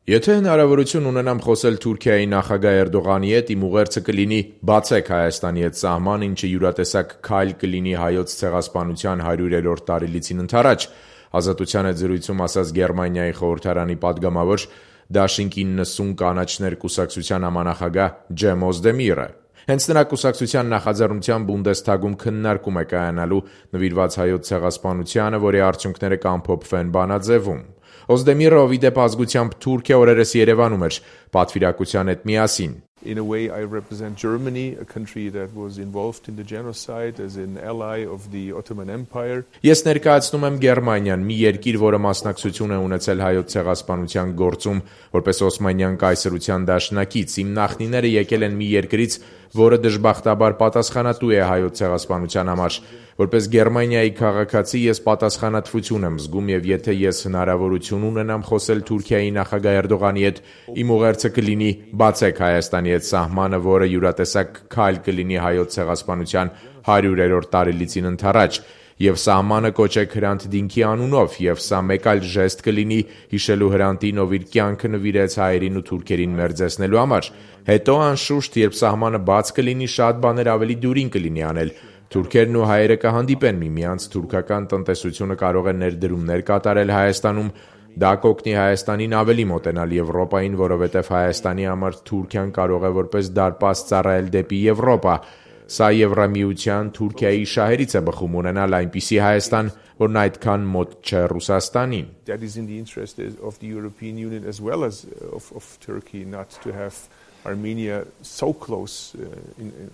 Եթե հնարավորություն ունենամ խոսել Թուրքիայի նախագահ Էրդողանի հետ, իմ ուղերձը կլինի բացեք Հայաստանի հետ սահման, ինչը յուրատեսակ քայլ կլինի հայոց ցեղասպանության 100-րդ տարելիցին ընդառաջ, Ազատության հետ զրույցում ասաց Գերմանիայի խորհրդարանի падգամավոր Դաշինք 90 կանաչներ կուսակցության համանախագահ Ջեմ Օզդեմիրը։ Հենց նրա կուսակցության նախաձեռնությամբ Բունդեսթագում քննարկում է կայանալու նվիրված հայոց ցեղասպանությանը, որի արդյունքները կամփոփվեն բանաձևում։ Օզդեմիրը, ով ի դեպ ազգությամբ թուրք է, օրերս Երևանում էր պատվիրակության հետ միասին։ In a way, I represent Germany, a country that was involved in the genocide as an ally of the Ottoman Empire. Ես ներկայացնում եմ Գերմանիան, մի երկիր, որը մասնակցություն է ունեցել հայոց ցեղասպանության գործում, որպես Օսմանյան կայսրության դաշնակից։ Իմ նախնիները եկել են մի երկրից, որը դժբախտաբար պատասխանատու է հայոց ցեղասպանության համար։ Որպես Գերմանիայի քաղաքացի ես պատասխանատվություն եմ զգում, եւ եթե ես հնարավորություն ունենամ խոսել Թուրքիայի նախագահ Էրդողանի հետ, իմ ուղերձը կլինի բացեք Հայաստանի հետ սահմանը, որը յուրատեսակ քայլ կլինի հայոց ցեղասպանության 100-րդ տարելիցին ընդառաջ, եւ սահմանը կոչեք Հրանտ Դինքի անունով, եւ սա մեկ այլ ժեստ կլինի հիշելու Հրանտին, ով իր կյանքը նվիրեց հայերին ու թուրքերին մերձեցնելու համար։ Հետո անշուշտ, երբ սահմանը բաց կլինի, շատ բաներ ավելի դյուրին կլինի անել։ Թուրքերն ու հայերը կհանդիպեն միմյանց, թուրքական տնտեսությունը կարող է ներդրումներ կատարել Հայաստանում, դա կօգնի Հայաստանին ավելի մոտենալ Եվրոպային, որովհետև Հայաստանի համար Թուրքիան կարող է որպես դարպաս ծառայել դեպի Եվրոպա։ Սա Եվրամիության Թուրքիայի շահերից է բխում ունենալ այնպիսի Հայաստան, որն այդքան մոտ չէ Ռուսաստանին։ That is in the interest of the European Union as well as of Turkey not to have Armenia so close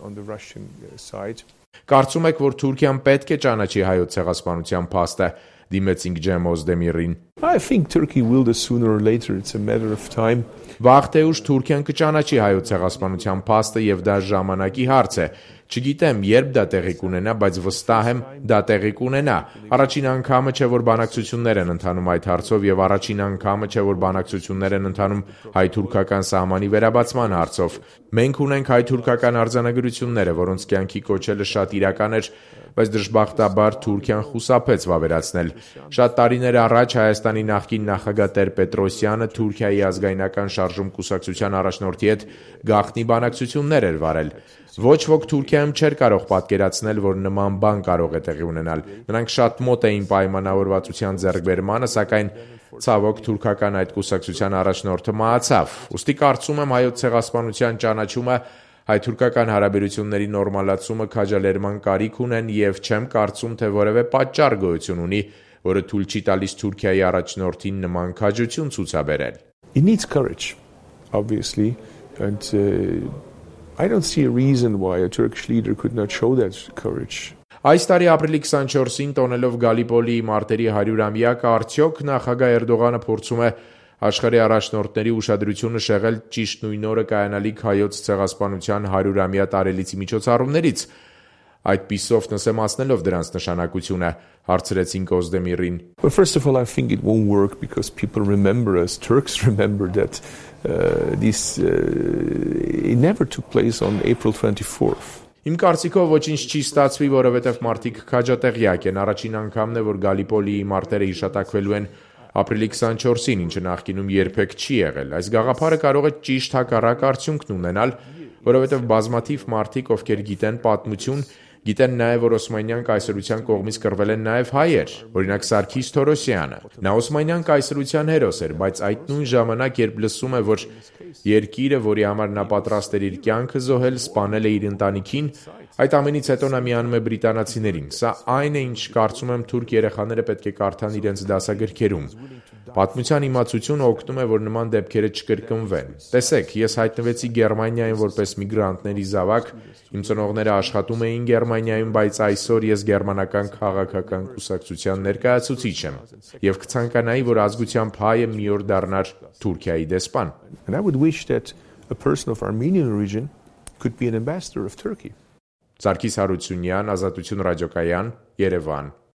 on the Russian side. Կարծում եք, որ Թուրքիան պետք է ճանաչի հայոց ցեղասպանության փաստը, դիմեցինք Ջեմ Օզդեմիրին։ I think Turkey will do sooner or later, it's a matter of time. Վաղ թե ուշ Թուրքիան կճանաչի հայոց ցեղասպանության փաստը եւ դա ժամանակի հարց է։ Չգիտեմ, երբ դա տեղի կունենա, բայց վստահ եմ, դա տեղի կունենա։ Առաջին անգամը չէ, որ բանակցություններ են ընթանում այդ հարցով եւ առաջին անգամը չէ, որ բանակցություններ են ընթանում հայ-թուրքական սահմանի վերաբացման հարցով։ Մենք ունենք հայ-թուրքական արձանագրությունները, որոնց կյանքի կոչելը շատ իրական էր, բայց դժբախտաբար Թուրքիան խուսափեց վավերացնել։ Շատ տարիներ առաջ Հայաստանի նախկին նախագահ Տեր-Պետրոսյանը Թուրքիայի ազգայնական շարժում կուսակցության առաջնորդի հետ գաղտնի բանակցություններ էր վարել։ Ոչ ոք Թուրքիայում չէր կարող պատկերացնել, որ նման բան կարող է տեղի ունենալ։ Նրանք շատ մոտ էին պայմանավորվածության ձեռքբերմանը, սակայն ցավոք թուրքական այդ կուսակցության առաջնորդը մահացավ։ Ուստի կարծում եմ հայոց ցեղասպանության ճանաչումը հայ-թուրքական հարաբերությունների նորմալացումը քաջալերման կարիք ունեն եւ չեմ կարծում, թե որևէ պատճառ գոյություն ունի, որը թույլ չի տալիս Թուրքիայի առաջնորդին նման քաջություն ցուցաբերել։ It needs courage, obviously, and I don't see a reason why a Turkish leader could not show that courage. Այս տարի ապրիլի 24-ին տոնելով Գալիպոլիի մարտերի 100-ամյակը արդյոք նախագահ Էրդողանը փորձում է աշխարհի առաջնորդների ուշադրությունը շեղել ճիշտ նույն օրը կայանալիք հայոց ցեղասպանության 100-ամյա տարելիցի միջոցառումներից։ Այդպիսով նսեմացնելով դրանց նշանակությունը, հարցրեցինք Օզդեմիրին։ Well, first of all, I think it won't work because people remember, as Turks remember, that it never took place on April 24th. Իմ կարծիքով ոչինչ չի ստացվի, որովհետև մարդիկ քաջատեղյակ են։ Առաջին անգամն է, որ Գալիպոլիի մարտերը հիշատակվելու են ապրիլի 24-ին, ինչը նախկինում երբեք չի եղել։ Այս գաղափարը կարող է ճիշտ հակառակ արդյունքն ունենալ, որովհետև բազմաթիվ մարդիկ, ովքեր գիտեն պատմություն, գիտեն նաև, որ Օսմանյան կայսրության կողմից կռվել են նաև հայեր, օրինակ Սարգիս Թորոսյանը։ Նա Օսմանյան կայսրության հերոս էր, բայց այդ նույն ժամանակ, երբ լսում է, որ երկիրը, որի համար նա պատրաստ էր իր կյանքը զոհել, սպանել է իր ընտանիքին, այդ ամենից հետո նա միանում է բրիտանացիներին։ Սա այն է, ինչ կարծում եմ թուրք երեխաները պետք է կարդան իրենց դասագրքերում։ Պատմության իմացությունը օգնում է, որ նման դեպքերը չկրկնվեն։ Տեսեք, ես հայտնվեցի Գերմանիայում որպես միգրանտների զավակ, իմ ծնողները աշխատում էին Գերմանիայում, բայց այսօր ես գերմանական քաղաքական կուսակցության ներկայացուցիչ եմ եւ կցանկանայի, որ ազգությամբ հայը մի օր դառնար Թուրքիայի դեսպան։ And I would wish that a person of Armenian origin could be an ambassador of Turkey. Սարգիս Հարությունյան, Ազատություն ռադիոկայան, Երևան։